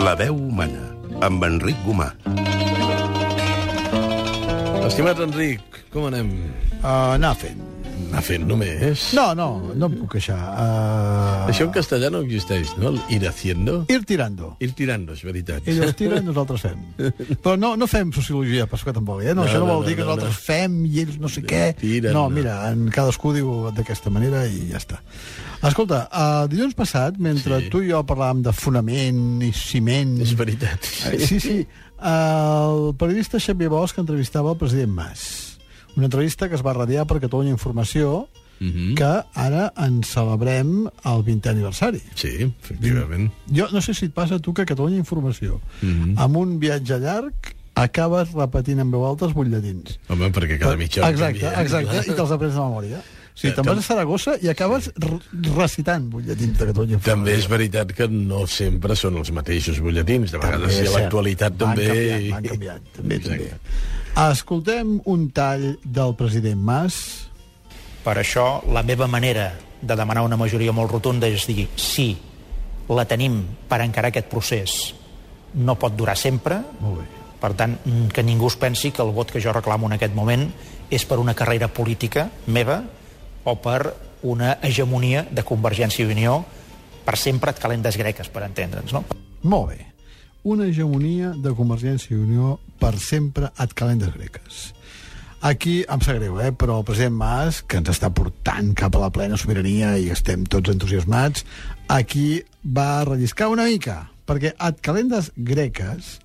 La veu humana, amb Enric Gomà. Estimat Enric, com anem? Anar fent. Anar fent només? No em puc queixar. Això en castellà no existeix, no? El ir haciendo? Ir tirando. Ir tirando, és veritat. Ells tiren, nosaltres fem. Però no fem sociologia, per això tampoc, eh? No, això no vol dir que nosaltres fem i ells no sé què. Tiren, no, mira, cadascú diu d'aquesta manera i ja està. Escolta, dilluns passat, mentre tu i jo parlàvem de fonament i ciment... És veritat. Sí. El periodista Xavier Bosch entrevistava el president Mas. Una entrevista que es va radiar per Catalunya Informació, que ara en celebrem el 20è aniversari. Sí, efectivament. Jo no sé si et passa a tu que Catalunya Informació, amb un viatge llarg, acabes repetint en veu alta els butlletins. Home, perquè cada mitja hora Exacte, i te'ls aprens de memòria. Sí, te'n vas a Saragossa i acabes recitant butlletins de Catalunya Informació. També és veritat que no sempre són els mateixos butlletins. De vegades, si l'actualitat també... Van canviant, també. Escoltem un tall del president Mas. Per això, la meva manera de demanar una majoria molt rotunda és dir sí, la tenim per encarar aquest procés. No pot durar sempre. Molt bé. Per tant, que ningú es pensi que el vot que jo reclamo en aquest moment és per una carrera política meva o per una hegemonia de Convergència i Unió per sempre et calendes greques, per entendre'ns, no? Molt bé. Una hegemonia de Convergència i Unió per sempre et calendes greques. Aquí em sap greu, però el president Mas, que ens està portant cap a la plena sobirania i estem tots entusiasmats, aquí va relliscar una mica, perquè et calendes greques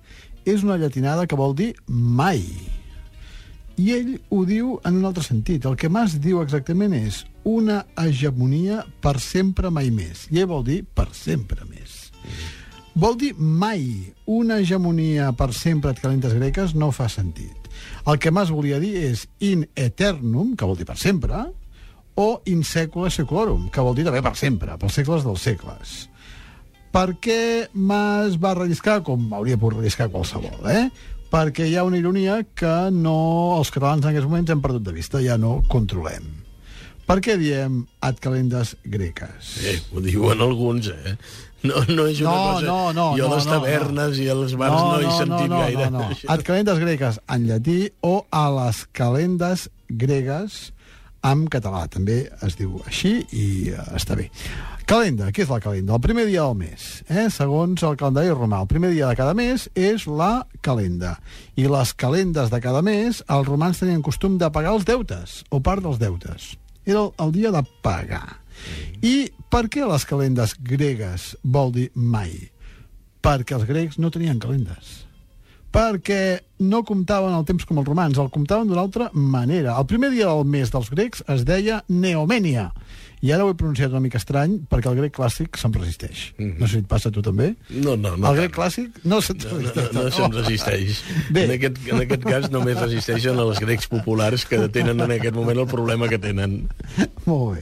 és una llatinada que vol dir mai. I ell ho diu en un altre sentit. El que Mas diu exactament és una hegemonia per sempre mai més. I ell vol dir per sempre més. Vol dir mai. Una hegemonia per sempre et calentes greques no fa sentit. El que Mas volia dir és in eternum, que vol dir per sempre, o in secula seculorum, que vol dir també per sempre, pels segles dels segles. Per què Mas va relliscar com hauria pogut relliscar qualsevol, Perquè hi ha una ironia que els catalans en aquests moments hem perdut de vista, ja no controlem. Per què diem ad calendes greques? Ho diuen alguns, No és una cosa... Jo a les tavernes i als bars no he sentit gaire. No. Ad calendes greques en llatí o a les calendes gregues en català. També es diu així i està bé. Calenda, què és la calenda? El primer dia del mes, segons el calendari romà. El primer dia de cada mes és la calenda. I les calendes de cada mes, els romans tenien costum de pagar els deutes, o part dels deutes. Era el dia de pagar. I per què les calendes gregues vol dir mai? Perquè els grecs no tenien calendes. Perquè no comptaven el temps com els romans, el comptaven d'una altra manera. El primer dia del mes dels grecs es deia Neomènia. I ara ho he pronunciat una mica estrany perquè el grec clàssic se'm resisteix. No sé si et passa a tu també? No. El grec clàssic no se'm resisteix. No se'm resisteix. En aquest cas només resisteixen els grecs populars que tenen en aquest moment el problema que tenen. Molt bé.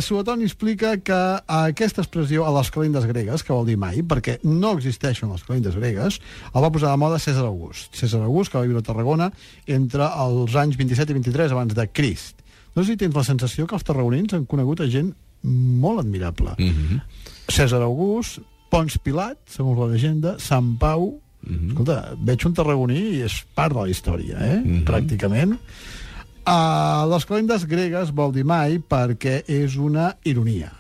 Suetoni explica que aquesta expressió a les calendes gregues, que vol dir mai, perquè no existeixen les calendes gregues, el va posar de moda Cèsar August. Cèsar August, que va viure a Tarragona entre els anys 27 i 23 abans de Crist. No sé si tens la sensació que els tarragonins han conegut a gent molt admirable. Cèsar August, Pons Pilat, segons la llegenda, Sant Pau... Escolta, veig un tarragoní i és part de la història, pràcticament. Les calendes gregues vol dir mai perquè és una ironia.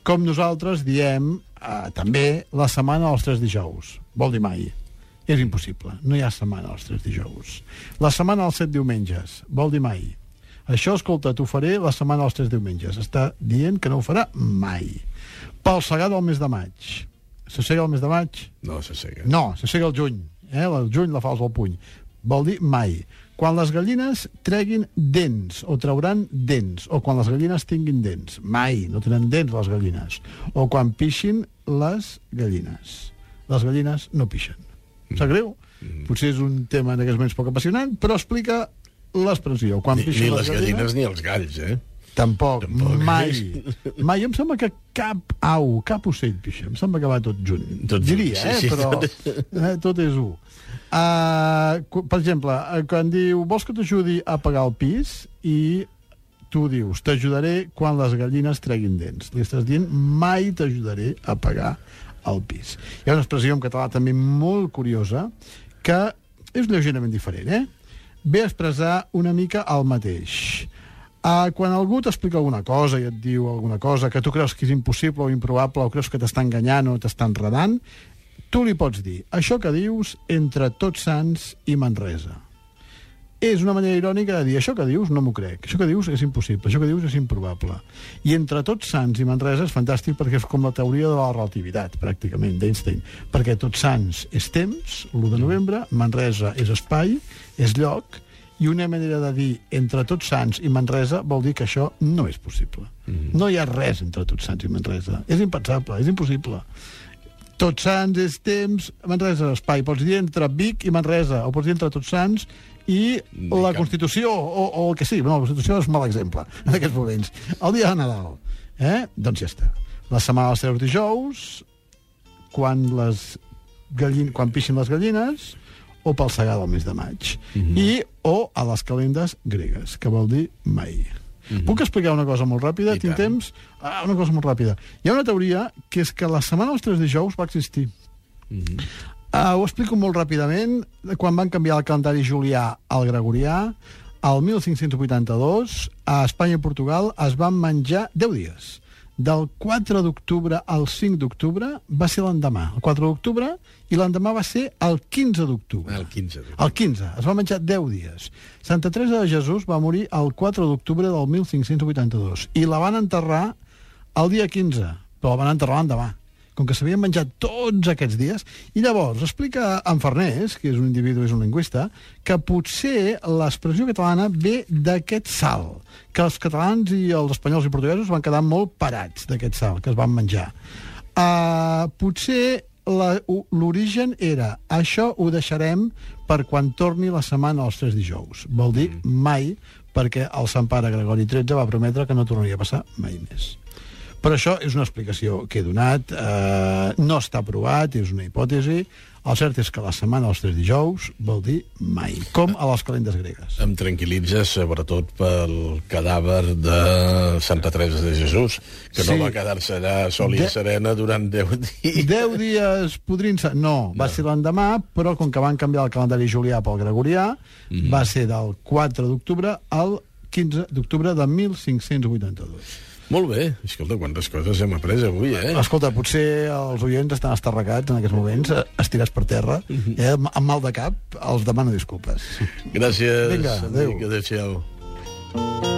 Com nosaltres diem també la setmana dels 3 dijous. Vol dir mai. És impossible. No hi ha setmana dels 3 dijous. La setmana dels 7 diumenges. Vol dir mai. Això, escolta, t'ho faré la setmana dels 3 diumenges. Està dient que no ho farà mai. Pel segar del mes de maig. S'assega el mes de maig? No s'assega. No, s'assega el juny. El juny la fas al puny. Vol dir mai. Quan les gallines treguin dents, o trauran dents, o quan les gallines tinguin dents. Mai, no tenen dents les gallines. O quan pixin les gallines. Les gallines no pixen. Sap greu? Potser és un tema en aquests moments poc apassionant, però explica l'expressió. Ni les gallines ni els galls, Tampoc. Mai. Mai. Em sembla que cap au, cap ocell pixa. Em sembla que va tot junt. Diria, però tot és u. Per exemple, quan diu vols que t'ajudi a pagar el pis i tu dius t'ajudaré quan les gallines treguin dents. Li estàs dient mai t'ajudaré a pagar al pis. Hi ha una expressió en català també molt curiosa que és lleugerament diferent, ve a expressar una mica el mateix. Quan algú t'explica alguna cosa i et diu alguna cosa que tu creus que és impossible o improbable o creus que t'està enganyant o t'està enredant, tu li pots dir, això que dius entre Tots Sants i Manresa. És una manera irònica de dir, això que dius no m'ho crec, això que dius és impossible, això que dius és improbable. I entre Tots Sants i Manresa és fantàstic perquè és com la teoria de la relativitat, pràcticament, d'Einstein. Perquè Tots Sants és temps, l'1 de novembre, Manresa és espai, és lloc, i una manera de dir entre Tots Sants i Manresa vol dir que això no és possible. No hi ha res entre Tots Sants i Manresa. És impensable, és impossible. Tots Sants és temps, Manresa és espai. Pots dir entre Vic i Manresa, o pots dir entre Tots Sants i la Constitució, o el que sigui. Bueno, la Constitució és un mal exemple en aquests moments. El dia de Nadal. Doncs ja està. La setmana dels 3 dijous, quan pixin les gallines, o pel segar del mes de maig. O a les calendes gregues, que vol dir mai. Puc explicar una cosa molt ràpida? Tinc temps? Una cosa molt ràpida. Hi ha una teoria que és que la setmana dels 3 dijous va existir. Ho explico molt ràpidament. Quan van canviar el calendari julià al gregorià, el 1582, a Espanya i Portugal es van menjar 10 dies. Del 4 d'octubre al 5 d'octubre va ser l'endemà. El 4 d'octubre i l'endemà va ser el 15 d'octubre. El 15. El 15. Es va menjar 10 dies. Santa Teresa de Jesús va morir el 4 d'octubre del 1582 i la van enterrar el dia 15, però la van enterrar l'endemà, com que s'havien menjat tots aquests dies. I llavors explica en Farnés, que és un individu, és un lingüista, que potser l'expressió catalana ve d'aquest salt, que els catalans i els espanyols i portuguesos van quedar molt parats d'aquest salt que es van menjar. Potser l'origen era això ho deixarem per quan torni la setmana dels 3 dijous. Vol dir mai, perquè el Sant Pare Gregori XIII va prometre que no tornaria a passar mai més. Però això és una explicació que he donat, no està provat, és una hipòtesi. El cert és que la setmana dels 3 dijous vol dir mai, com a les calendes gregues. Em tranquil·litza, sobretot pel cadàver de Santa Teresa de Jesús, que no va quedar-se allà sol i serena durant 10 dies. 10 dies podrint-se... No, va ser l'endemà, però com que van canviar el calendari julià pel gregorià, va ser del 4 d'octubre al 15 d'octubre de 1582. Molt bé. Escolta, quantes coses hem après avui, Escolta, potser els oients estan estarracats en aquests moments, estirats per terra, amb mal de cap, els demano disculpes. Gràcies. Vinga, adéu. Adéu-siau.